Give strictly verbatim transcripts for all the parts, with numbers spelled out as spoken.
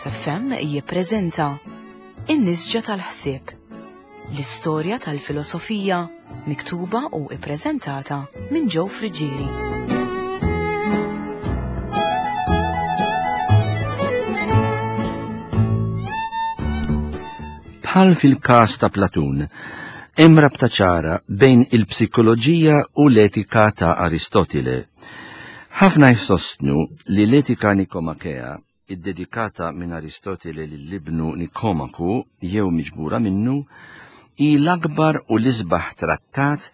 Veritas F M jippreżenta In-Nisġa tal-Ħsieb, l-istorja tal-filosofija miktuba u ippreżentata minn Joe Friggieri. Bħal fil-każ ta' Platun, hemm rabta ċara bejn il-psikoloġija u l-etika ta' Aristotile. Ħafna jsostnu li l-etika Nikomakea, iddedikata minn Aristotile lil-ibnu Nikomaku jew miġbura minnu, hi l-akbar u l-isbaħ trattat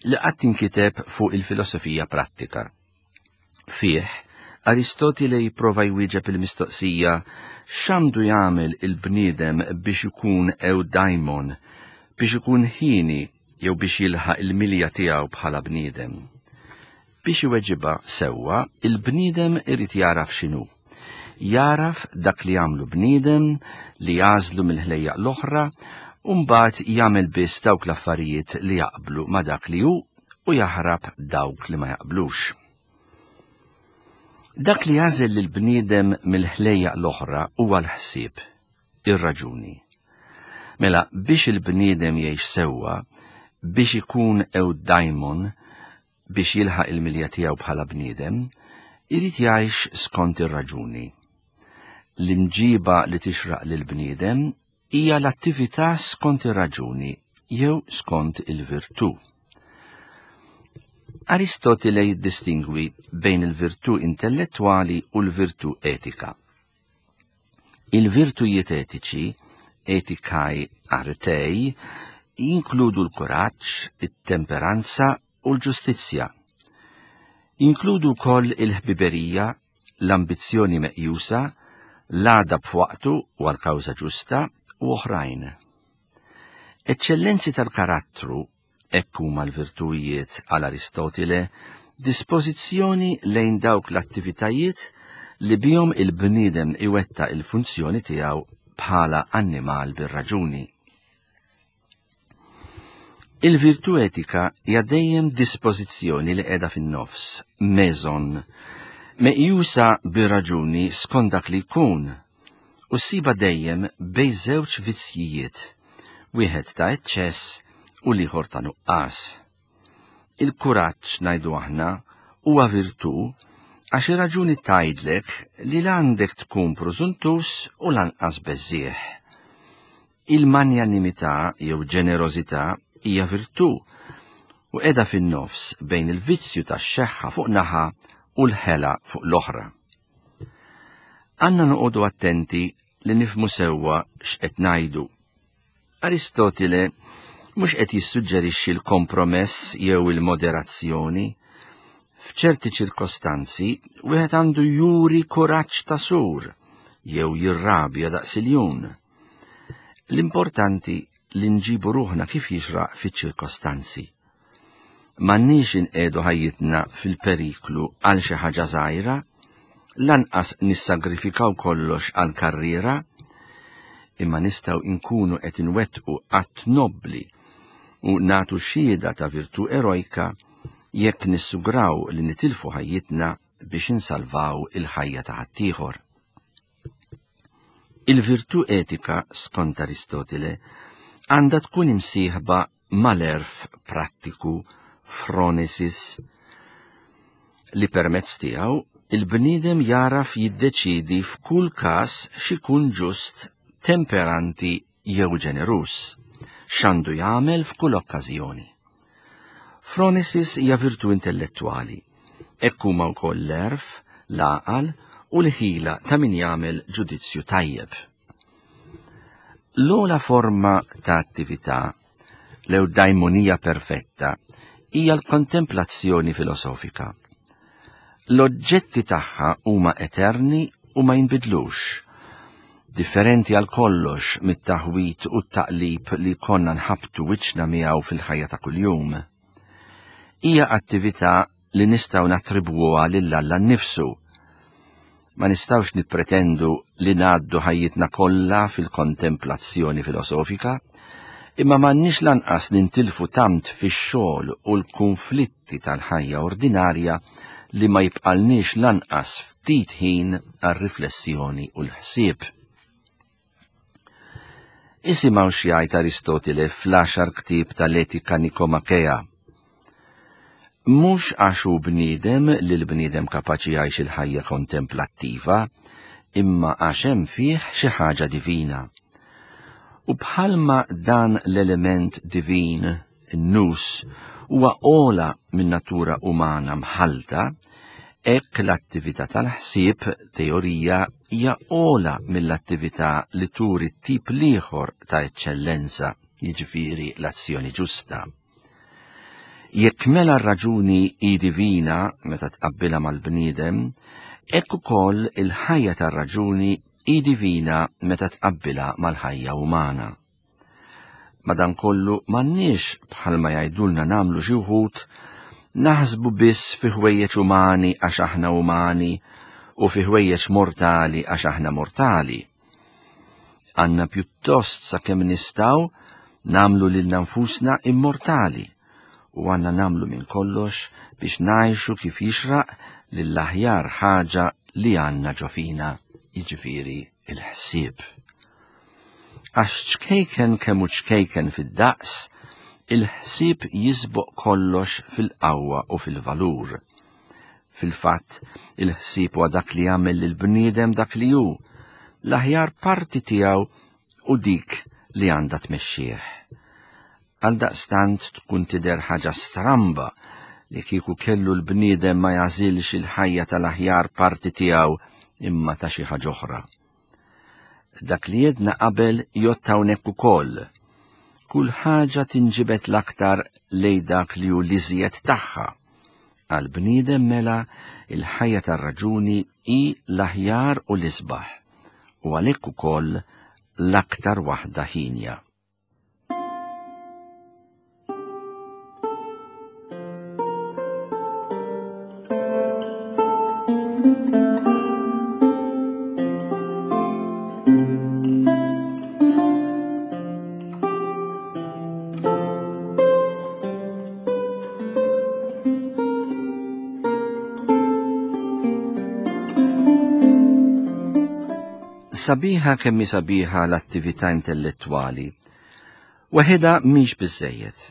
li qatt inkiteb fuq il-filosofija prattika. Fih, Aristotile jipprova jwieġeb il-mistoqsija x'għandu jagħmel il-bniedem biex ikun eudaimon, biex ikun ħini jew biex jilħaq il-milja tiegħu bħala bniedem. Biex iweġibha sewwa, il-bniedem irid jaraf x'inhu. Jaraf dak li jagħmlu bniedem, li jażlu mill-ħlejjaq l-oħra, u mbagħad jagħmel biss dawk l-affarijiet li jaqblu ma' dak li hu u jaħrab dawk li ma jaqblux. Dak li jażel lill-bniedem mill-ħlejjaq l-oħra huwa l-ħsieb, ir-raġuni. Mela biex il-bniedem jgħix sewwa, biex ikun eudaimon, biex jilħaq il-milja tiegħu bħala bniedem, irid jgħix skont ir-raġuni. L-imġiba li tixraq lill-bniedem hija l-attività skont ir-raġuni jew skont il-virtù. Aristotile jiddistingwi bejn il-virtù intellettwali u l-virtù etika. Il-virtujiet etiċi, etikai artei, jinkludu l-kuraġġ, it-temperanza u l-ġustizzja. Jinkludu wkoll il-ħbiberija, l-ambizzjoni meqjusa, l-għadab f'waqtu u għal-kawża ġusta u oħrajn. Eċċellenzi tal-karattru, hekk huma l-virtujiet għal Aristotile, dispożizzjoni lejn dawk l-attivitajiet li bihom il-bniedem iwettaq il-funzjoni tiegħu bħala annimal bir-raġuni. Il-virtù etika hija dejjem dispożizzjoni li qiegħda fin-nofs, meżon, meqjusa bir-raġuni skont dak li jkun, u ssiba dejjem bejn żewġ vizzjijiet, wieħed ta' eċċess u l-ieħor ta' nuqqas. Il-kuraġġ, ngħidu aħna, huwa virtù għax ir-raġuni tgħidlek li l-għandek tkun prożuntus u lanqas beżżieħ. Il-manjanimità jew ġenerożità hija virtù u qiegħda fin-nofs bejn il-vizzju tax-xeħħa fuq naħa u l-ħela fuq l-oħra. Għandna noqogħdu attenti li nifhmu sewwa x'qed ngħidu. Aristotile mhux qed jissuġġerixxi l-kompromess jew il-moderazzjoni. F'ċerti ċirkostanzi wieħed għandu juri kuraġġ ta' sur jew jirrabja daqs iljun. L-importanti li nġibu ruħna kif jixraq fiċ-ċirkostanzi. M'għandniex inqegħdu ħajjitna fil-periklu għal xi ħaġa żgħira, lanqas nissagrifikaw kollox għal karriera, imma nistgħu nkunu qed inwettqu att nobbli u nagħtu xhieda ta' virtù erojka jekk nissugraw li nitilfu ħajjitna biex insalvaw il-ħajja ta' ħaddieħor. Il-virtù etika, skont Aristotile, għandha tkun imsieħba mal-għerf prattiku phronesis, li permezz tiegħu il-bniedem jaraf jiddeċidi f'kull każ x'ikun ġust, temperanti jew ġeneruż, x'għandu jagħmel f'kull okkażjoni. Phronesis hija virtù intellettwali, hekk huma wkoll l-għerf, l-għaqal u l-ħila ta' min jagħmel ġudizzju tajjeb. L-ogħla forma ta' attività, l-eudaimonija perfetta, hija l-kontemplazzjoni filosofika. L-oġġetti tagħha huma eterni u ma jinbidlux, differenti għal kollox mit-taħwit u t-taqlib li konna nħabtu wiċċna miegħu fil-ħajja ta' kuljum. Hija attività li nistgħu nattribwuha lil Alla nnifsu. Ma nistgħux nippretendu li ngħaddu ħajjitna kollha fil-kontemplazzjoni filosofika, imma m'għandniex lanqas nintilfu tant fix-xogħol u l-kunflitti tal-ħajja ordinarja li ma jibqalniex lanqas ftit ħin għar-riflessjoni u l-ħsieb. Isimgħu x'jgħid Aristotile fl-għaxar ktieb tal-Etika Nikomakea. Mhux għax hu bniedem li l-bniedem kapaċi jgħix il-ħajja kontemplattiva, imma għax hemm fih xi ħaġa divina. U bħalma dan l-element divin, in-nus, huwa ogħla minn natura umana mħalta, hekk l-attività tal-ħsieb, teorija, hija ogħla mill-attività li turi t-tip l-ieħor ta' eċċellenza, jiġifieri l-azzjoni ġusta. Jekk mela r-raġuni hi divina meta tqabbilha mal-bniedem, hekk ukoll il-ħajja tar-raġuni hi divina meta tqabbilha mal-ħajja umana. Madankollu m'għandniex bħalma jgħidulna nagħmlu xi wħud naħsbu biss fi ħwejjeġ umani għax aħna umani u fi ħwejjeġ mortali għax aħna mortali. Għandna pjuttost sakemm nistgħu nagħmlu lilna nfusna immortali u għandna nagħmlu minn kollox biex ngħixu kif jixraq lill-aħjar ħaġa li għandna ġo fina, jiġifieri il-ħsieb. Għax ċkejken kemm hu ċkejken fid-daqs, il-ħsieb jisboq kollox fil-qawwa u fil-valur. Fil-fatt, il-ħsieb huwa dak li jagħmel lill-bniedem dak li hu, l-aħjar parti tiegħu u dik li għandha tmexxih. Għaldaqstant tkun tidher ħaġa stramba li kieku kellu l-bniedem ma jażilx il-ħajja tal-aħjar parti tiegħu imma ta' xi ħaġa oħra. Dak li jedna qabel jgħodd hawnhekk ukoll. Kull ħaġa tinġibed l-aktar lejn dak li hu l-iżjed tagħha. Għall-bniedem mela il-ħajja tar-raġuni hi l-aħjar u l-isbaħ, u għalhekk ukoll l-aktar waħda ħinja. Sabiħa kemm hi sabiħa l-attività intellettwali, waħedha mhix biżżejjed.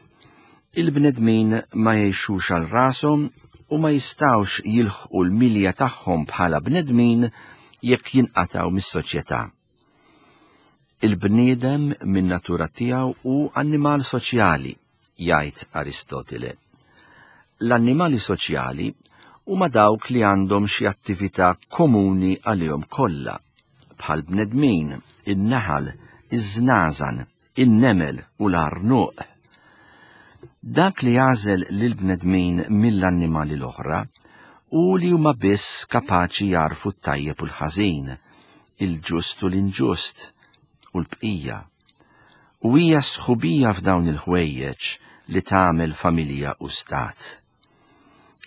Il-bnedmin ma jgħixux għal rashom u ma jistgħux jilħqu l-milja tagħhom bħala bnedmin jekk jinqatgħu mis-soċjetà. Il-bniedem min natura tiegħu hu annimal soċjali, jgħid Aristotile. L-annimali soċjali huma dawk li għandhom xi attività komuni għalihom kollha, bħal bnedmin, in-naħal, iż-żnażan, in-nemel u l-arnuq. Dak li jagħżel lill-bnedmin mill-annimali l-oħra u li huma biss kapaċi jarfu t-tajjeb u l-ħażin, il-ġust u l-inġust u l-bqija. U hija sħubija f'dawn il-ħwejjeġ li tagħmel familja u stat.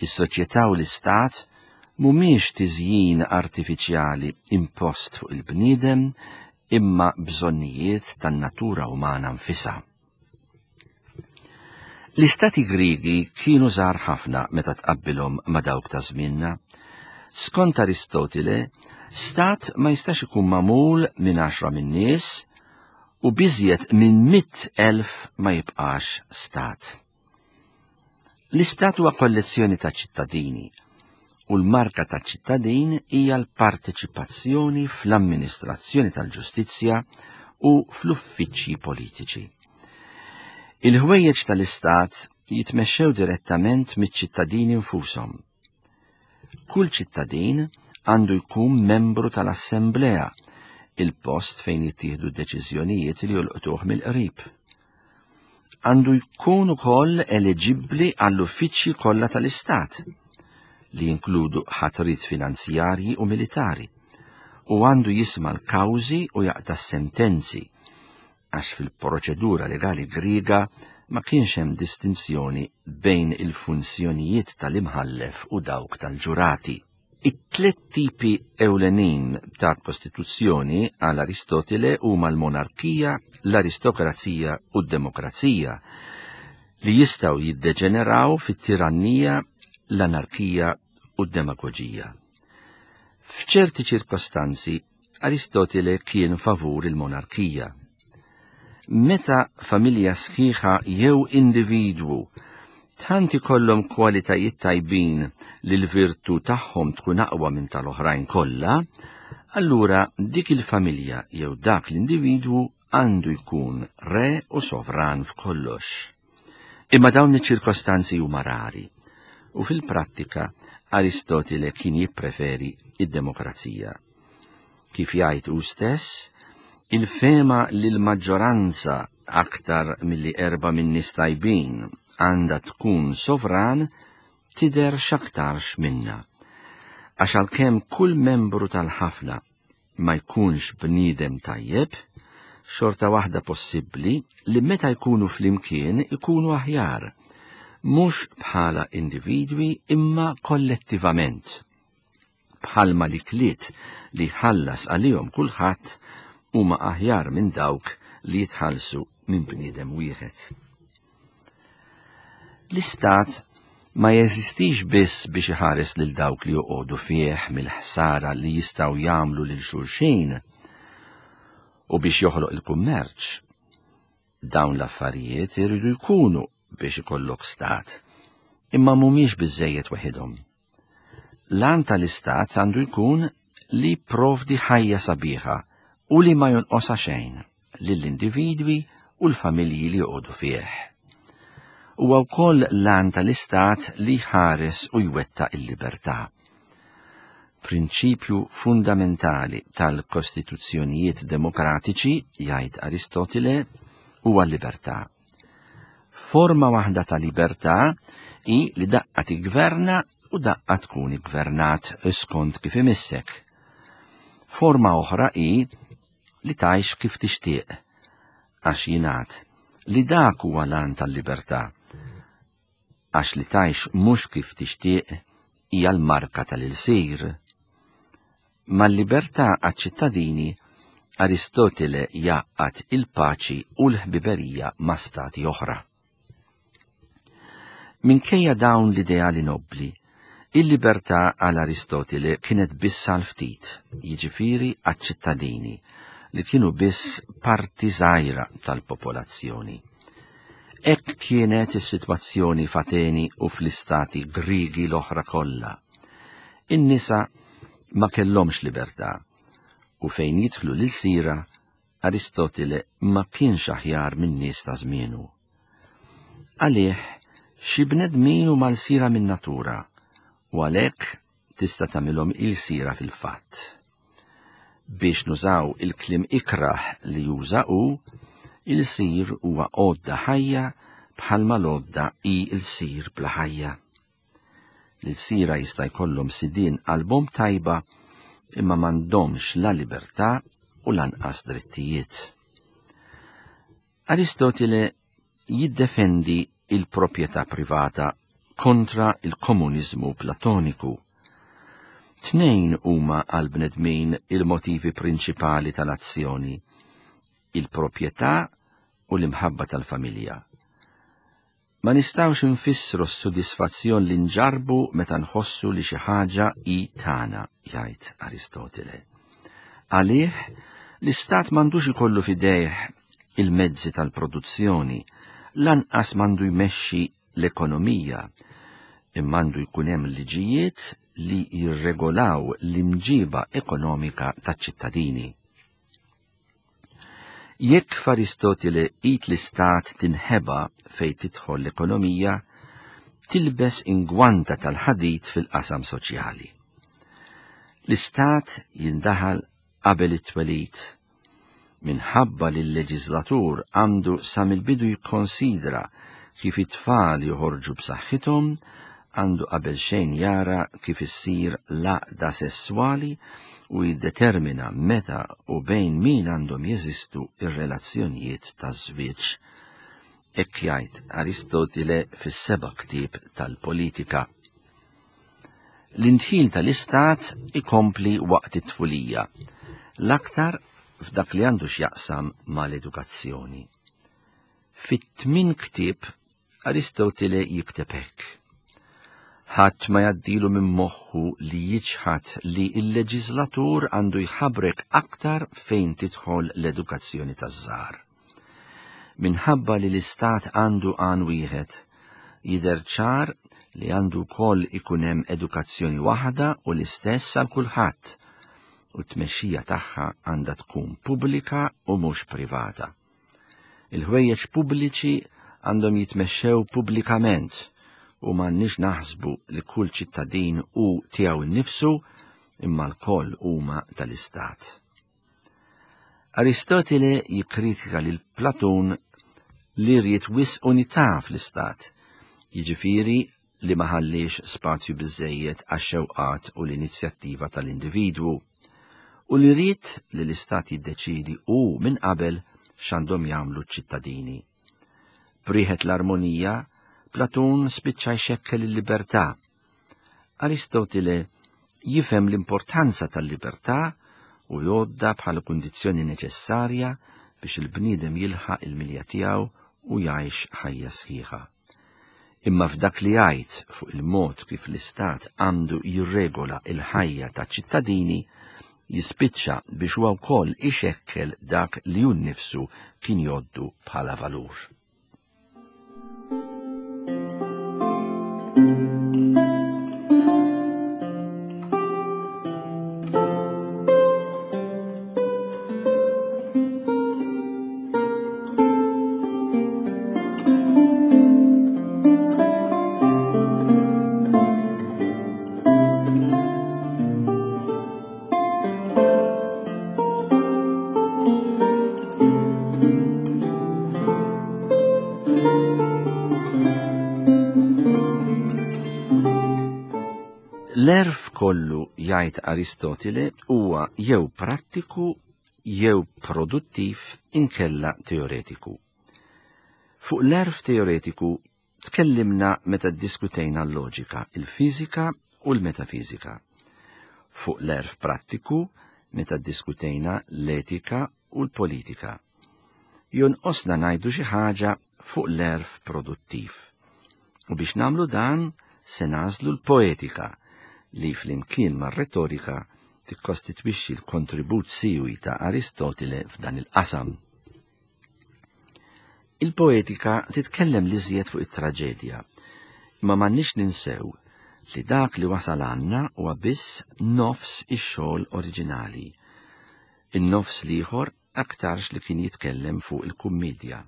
Is-soċjetà u l-istat mhumiex tiżjin artifiċjali impost fuq il-bniedem imma bżonnijiet tan-natura umana nfisha. L-istati Griegi kienu żgħar ħafna meta tqabbilhom ma' dawk ta' żmienna. Skont Aristotile, stat ma jistax ikun magħmul minn għaxra min-nies u biżjed minn mitt elf ma jibqax stat. L-istat huwa kollezzjoni ta' ċittadini u l-marka ta' ċittadin hija l-parteċipazzjoni fl-amministrazzjoni tal-ġustizzja u fl-uffiċċji politiċi. Il-ħwejjeġ tal-istat jitmexxew direttament miċ-ċittadini nfushom. Kull ċittadin għandu jkun membru tal-assemblea, il-post fejn jittieħdu deċiżjonijiet li jolqtuh mill-qrib. Għandu jkun ukoll eliġibbli għall-uffiċċji kollha tal-istat, li jinkludu ħatrit finanzjarji u militari, u għandu jisma' l-kawżi u jaqta' sentenzi, għax fil-proċedura legali Griega ma kienx hemm distinzjoni bejn il-funzjonijiet tal-imħallef u dawk tal-ġurati. It-tliet tipi ewlenin ta' kostituzzjoni għal Aristotile huma l-monarkija, l-aristokrazija u d-demokrazija, li jistgħu jiddeġeneraw fit-tirannija, l-anarkija u d-demagoġija. F'ċerti ċirkostanzi, Aristotile kien favur il-monarkija. Meta familja sħiħa jew individwu tant ikollhom kwalitajiet tajbin li l-virtu tagħhom tkun aqwa minn tal-oħrajn kollha, allura dik il-familja jew dak l-individwu għandu jkun re u sovran f'kollox. Imma dawn iċ-ċirkostanzi huma rari, u fil-prattika Aristotile kien jippreferi id-demokrazija. Kif jgħid hu stess, il-fehma li l-maġġoranza aktar milli erba' minn nies tajbin għandha tkun sovran tidher x'aktarx minna. Għax għalkemm kull membru tal-ħafna ma jkunx bniedem tajjeb, xorta waħda possibbli li meta jkunu flimkien ikunu aħjar, mhux bħala individwi imma kollettivament. Bħalma l-ikliet li ħallas għalihom kulħadd huma aħjar minn dawk li jitħallsu minn bniedem wieħed. L-istat ma jeżistix biss biex iħares lil dawk li joqogħdu fih mill-ħsara li jistgħu jagħmlu lil xulxin u biex joħloq il-kummerċ. Dawn l-affarijiet iridu jkunu biex ikollok stat, imma mhumiex biżejjed waħedhom. L-għan tal-istat għandu jkun li provdi ħajja sabiħa u li ma jonqosha xejn lill-individwi u l-familji li joqogħdu fih. Huwa wkoll l-għan tal-istat li jħares u jwettaq il-libertà. Prinċipju fundamentali tal-kostituzzjonijiet demokratiċi, jgħid Aristotile, huwa l-libertà. Forma waħda ta' libertà hi li daqqa tiggverna u daqqa tkun iggvernat skont kif imissek. Forma oħra hi li tgħix kif tixtieq, għax jingħad li dak huwa l-għan tal-libertà, għax li tgħix mhux kif tixtieq hija l-marka tal-ilsir. Mal-libertà għaċ-ċittadini, Aristotele jgħaqqad il-paċi u l-ħbiberija ma' stati oħra. Minkejja dawn l-ideali nobbli, il-libertà għal Aristotele kienet biss għal ftit, jiġifieri għaċ-ċittadini, li kienu biss parti żgħira tal-popolazzjoni. Hekk kienet is-sitwazzjoni f'Ateni u fl-istati Griegi l-oħra kollha. In-nisa ma kellhomx libertà, u fejn jidħlu l-ilsira, Aristotele ma kienx aħjar minn nies ta' żmienu. Għalih, xi bnedmin huma lsira min-natura, u għalhekk tista' tagħmilhom ilsira fil-fatt. Biex nużaw il-kliem ikrah li juża hu, il-sir huwa għodda ħajja bħalma l-għodda hi l-sir bla ħajja. L-sira jista' jkollhom sidien qalbhom tajba imma m'għandhomx la libertà u lanqas drittijiet. Aristotele jiddefendi il-proprjetà privata kontra il-komuniżmu platoniku. Tnejn huma għal-bnedmin il-motivi prinċipali tal-azzjoni, il-proprjetà u l-imħabba tal-familja. Ma nistgħux nfissru s-sodisfazzjon li nġarbu meta nħossu li xi ħaġa hi tagħna, jgħid Aristotele. Għalih, l-istat m'għandux ikollu f'idejh il-mezzi tal-produzzjoni, lanqas m'għandu jmexxi l-ekonomija, imma għandu jkun hemm liġijiet li jirregolaw l-imġiba ekonomika taċ-ċittadini. Jekk f'Aristotele id l-istat tinħeba fejn tidħol l-ekonomija, tilbes ingwanta tal-ħadid fil-qasam soċjali. L-istat jindaħal qabel it-twelid. Minħabba li l-leġislatur għandu sa mill-bidu jikkonsidra kif it-tfal joħorġu b'saħħithom, għandu qabel xejn jara kif issir l-għaqda sesswali u jiddetermina meta u bejn min għandhom jeżistu ir-relazzjonijiet taż-żwieġ. Hekk jgħid Aristotile fis-seba' ktieb tal-Politika. L-indħil tal-istat ikompli waqt it-tfulija, l-aktar f'dak li għandu x'jaqsam mal-edukazzjoni. Fit-tmien ktieb Aristotile jikteb hekk. Ħadd ma jgħaddilu minn moħħu li jiċħad li l-leġislatur għandu jħabrek aktar fejn tidħol l-edukazzjoni taż-żgħar. Minħabba li l-istat għandu għan wieħed, jidher ċar li għandu wkoll ikun hemm edukazzjoni waħda u l-istess għal kulħadd, u t-tmexxija tagħha għandha tkun pubblika u mhux privata. Il-ħwejjeġ pubbliċi għandhom jitmexxew pubblikament u m'għandniex naħsbu li kull ċittadin hu tiegħu nnifsu imma l-koll huma tal-istat. Aristotile jikkritika lil Platun li ried wisq unità fl-istat, jiġifieri li ma ħalliex spazju biżżejjed għax-xewqat u l-inizjattiva tal-individwu, u li ried li l-istat jiddeċiedi hu minn qabel x'għandhom jagħmlu ċ-ċittadini. B'riħet l-armonija, Platun spiċċa jxekkel il-libertà. Aristotile jifhem l-importanza tal-libertà u jgħoddha bħala kundizzjoni neċessarja biex il-bniedem jilħaq il-milja tiegħu u jgħix ħajja sħiħa. Imma f'dak li jgħid fuq il-mod kif l-istat għandu jirregola il-ħajja ta' ċittadini, jispiċċa biex huwa wkoll ixekkel dak li hu nnifsu kien jgħoddu bħala valur. L-erf kollu, jgħid Aristotile, huwa jew prattiku jew produttiv inkella teoretiku. Fuq l-erf teoretiku tkellimna meta ddiskutejna l-loġika, il-fiżika u l-metafiżika. Fuq l-erf prattiku meta ddiskutejna l-etika u l-politika. Jonqosna ngħidu xi ħaġa fuq l-erf produttiv. U biex nagħmlu dan se nagħżlu l-poetika li flimkien mar-retorika tikkostitwixxi l-kontribut siwi ta' Aristotile f'dan il-qasam. Il-poetika titkellem l-iżjed fuq it-traġedja, imma m'għandniex ninsew li dak li wasal għandna huwa biss nofs ix-xogħol oriġinali. In-nofs l-ieħor aktarx li kien jitkellem fuq il-kummedja.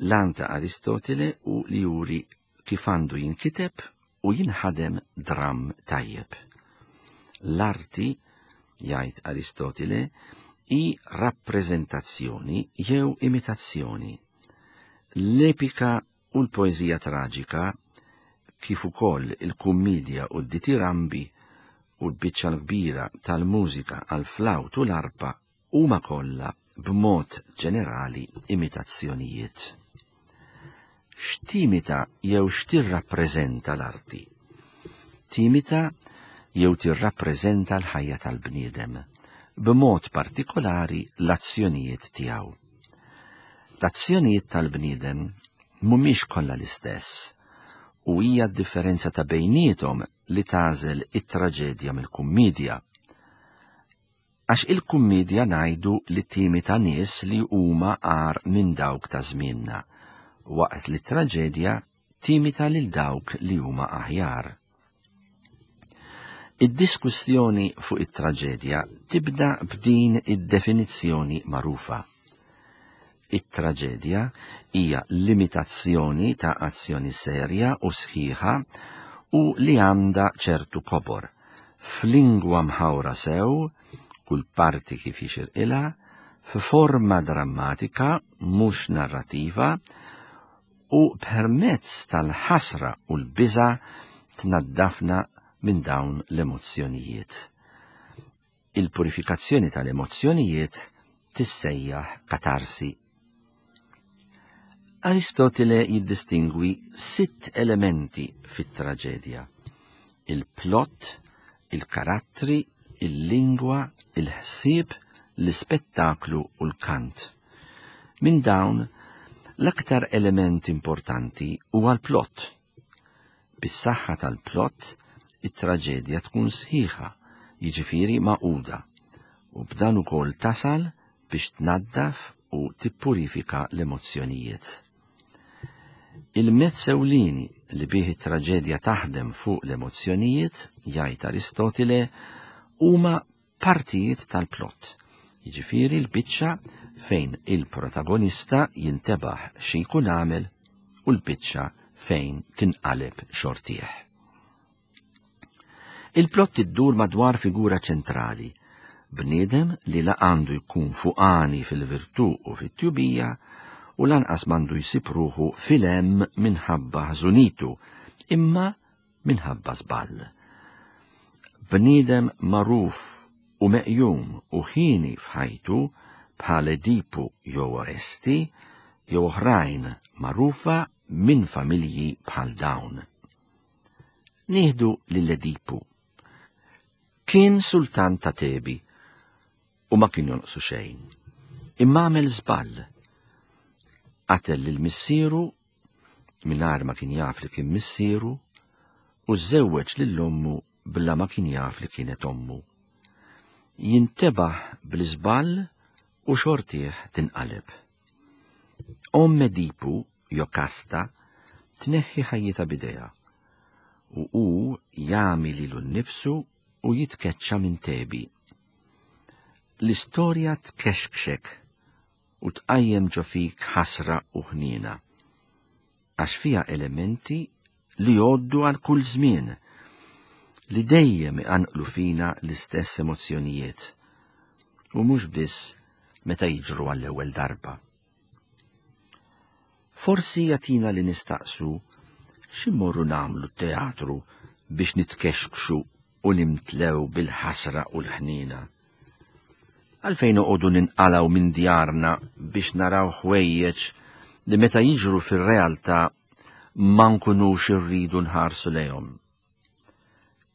L-għan ta' Aristotile hu li juri kif għandu jinkiteb u jinħadem dramm tajjeb. L-arti, jgħid Aristotile, hi rappreżentazzjoni jew imitazzjoni. L-epika u l-poeżija traġika, kif ukoll il-kummedja u d-ditirambi u l-biċċa l-kbira tal-mużika għall-flawt u l-arpa huma kollha b'mod ġenerali imitazzjonijiet. X'timita jew x'tirrappreżenta l-arti? Timita jew tirrappreżenta l-ħajja tal-bniedem, b'mod partikolari l-azzjonijiet tiegħu. L-azzjonijiet tal-bniedem mhumiex kollha l-istess, u hija d-differenza ta' bejniethom li tagħżel it-traġedja mill-kummedja. Għax il-kummedja ngħidu li timita nies li huma agħar minn dawk ta' żmienna, waqt li t-traġedja timita lil dawk li huma aħjar. Id-diskussjoni fuq it-traġedja tibda b'din id-definizzjoni magħrufa. It-traġedja hija limitazzjoni ta' azzjoni serja u sħiħa u li għandha ċertu kobor, f'lingwa mħawra sew, kull parti kif jixirqilha, f'forma drammatika mhux narrativa, u permezz tal-ħasra u l-biża' tnaddafna minn dawn l-emozzjonijiet. Il-purifikazzjoni tal-emozzjonijiet tissejjaħ katarsi. Aristotile jiddistingwi sitt elementi fit-traġedja: il-plot, il-karattri, il-lingwa, il-ħsieb, l-ispettaklu u l-kant. Minn dawn, l-aktar element importanti huwa l-plot. Bis-saħħa tal-plot, it-traġedja tkun sħiħa, jiġifieri magħquda, u b'dan ukoll tasal biex tnaddaf u tippurifika l-emozzjonijiet. Il-mezz ewlieni li bih it-traġedja taħdem fuq l-emozzjonijiet, jgħid Aristotile, huma partijiet tal-plot, jiġifieri l-biċċa fejn il-protagonista jintebaħ xi jkun għamel u l-biċċa fejn tinqaleb xortih. Il-plot iddur madwar figura ċentrali, bniedem li la għandu jkun fuqani fil-virtù u fit-tjubija u lanqas m'għandu jsib ruħu fil-hemm minħabba ħżunitu, imma minħabba żball. Bniedem magħruf u meqjum u ħini f'ħajtu bħal Edipu jew Oresti jew oħrajn magħrufa minn familji bħal dawn. Nieħdu lil Edipu. Kien sultan ta' Tebi u ma kien jonqsu xejn. Imma għamel żball. Qatel lil missieru mingħajr ma kien jaf li kien missieru u żewweġ lil ommu bla ma kien jaf li kienet ommu. Jintebaħ bl-iżball u xortih tinqaleb. Omm Edipu, Jokasta, tneħħi ħajjitha b'idejha u hu jagħmi lilu nnifsu u jitkeċċa minn Tebi. L-istorja tkexkxek u tqajjem ġo fik ħasra u ħniena, għax fiha elementi li jgħoddu għal kull żmien, li dejjem iqanqlu fina l-istess emozzjonijiet, u mhux biss meta jiġru għall-ewwel darba. Forsi jagħtina li nistaqsu x'immorru nagħmlu t-teatru biex nitkexkxu u nimtlew bil-ħasra u l-ħniena. Għalfejn noqogħdu ninqalgħu minn djarna biex naraw ħwejjeġ li meta jiġru fir-realtà ma nkunux irridu nħarsu lejhom.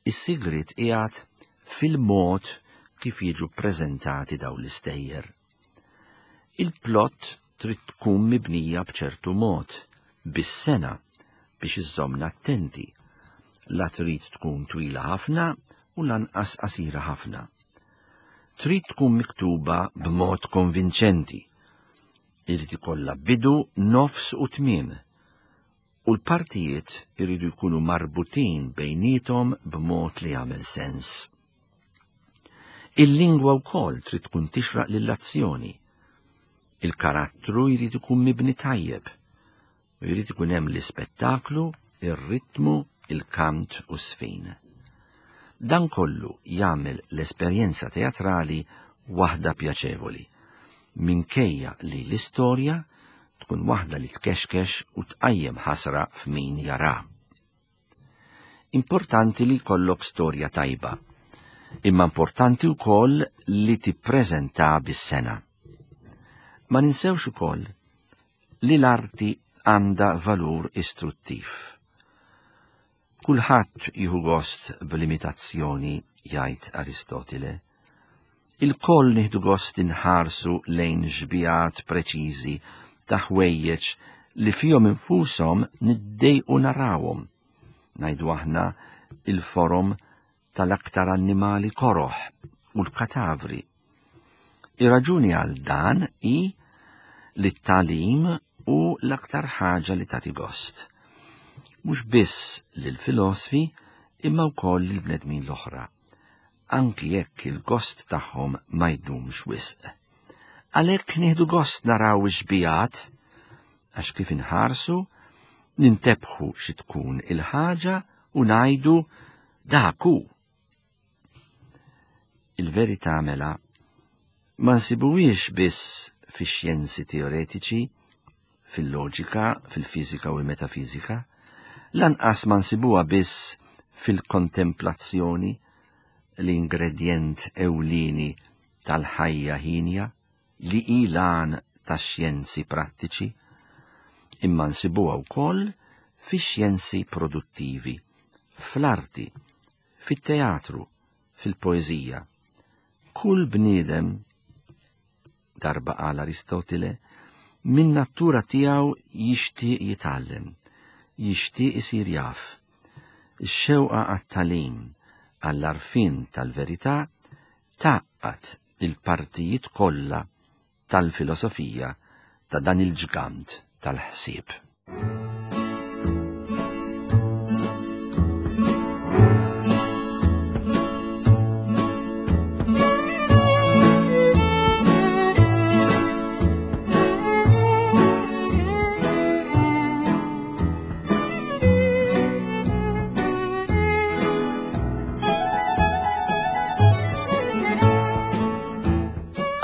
Is-sigriet qiegħed fil-mod kif jiġu ppreżentati dawn l-istejjer. Il-plot trid tkun mibnija b'ċertu mod, bis-sena, biex iżżommna attenti. La trid tkun twila ħafna u lanqas qasira ħafna. Trid tkun miktuba b'mod konvinċenti. Irid ikollha bidu, nofs u tmiem. U l-partijiet iridu jkunu marbutin bejniethom b'mod li jagħmel sens. Il-lingwa wkoll trid tkun tixraq lill-azzjoni. Il-karattru jrid ikun mibni tajjeb. U jrid ikun hemm l-ispettaklu, ir-ritmu, il-kant u s-sfin. Dan kollu jagħmel l-esperjenza teatrali waħda pjaċevoli, minkejja li l-istorja tkun waħda li tkexkex u tqajjem ħasra f'min jara. Importanti li jkollok storja tajba, imma importanti wkoll li tippreżenta bis-sena. Ma ninsewx ukoll li l-arti għandha valur istruttiv. Kulħadd jieħu gost b'limitazzjoni, jgħid Aristotile. Il-koll nieħdu gost inħarsu lejn xbihat preċiżi ta' ħwejjeġ li fihom infushom niddejqu narawhom. Ngħidu aħna il-forom tal-aktar annimali koroħ u l-katavri. Ir-raġuni għal dan hi li t-tagħlim hu l-aktar ħaġa li tagħti gost. Mhux biss lill-filosfi imma wkoll lill-bnedmin l-oħra, anki jekk il-gost tagħhom ma jdumx wisq. Għalhekk nieħdu gost naraw ix-xbihat, għax kif inħarsu nintebħu xi tkun il-ħaġa u ngħidu dak hu. Il-verità mela ma nsibuhiex biss fix-xjenzi teoretiċi, fil-loġika, fil-fiżika u l-metafiżika, lanqas ma nsibuha biss fil-kontemplazzjoni, l-ingredjent ewlieni tal-ħajja ħinja, li hi l-għan tax-xjenzi prattiċi, imma nsibuha wkoll fix-xjenzi produttivi, fl-arti, fit-teatru, fil-poeżija. Kull bniedem, darba qal Aristotile, min natura tiegħu jixtieq jitgħallem, jixtieq isir jaf. Ix-xewqa għat-tagħlim, għall-għarfien tal-verità, tgħaqqad il-partijiet kollha tal-filosofija ta' dan il-ġgant tal-ħsieb.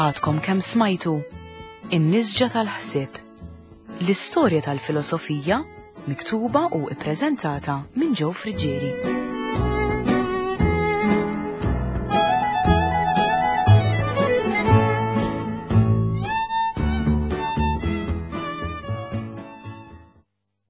Għadkom kemm smajtu In-Nisġa tal-Ħsieb. L-istorja tal-filosofija miktuba u ippreżentata minn Joe Friggieri.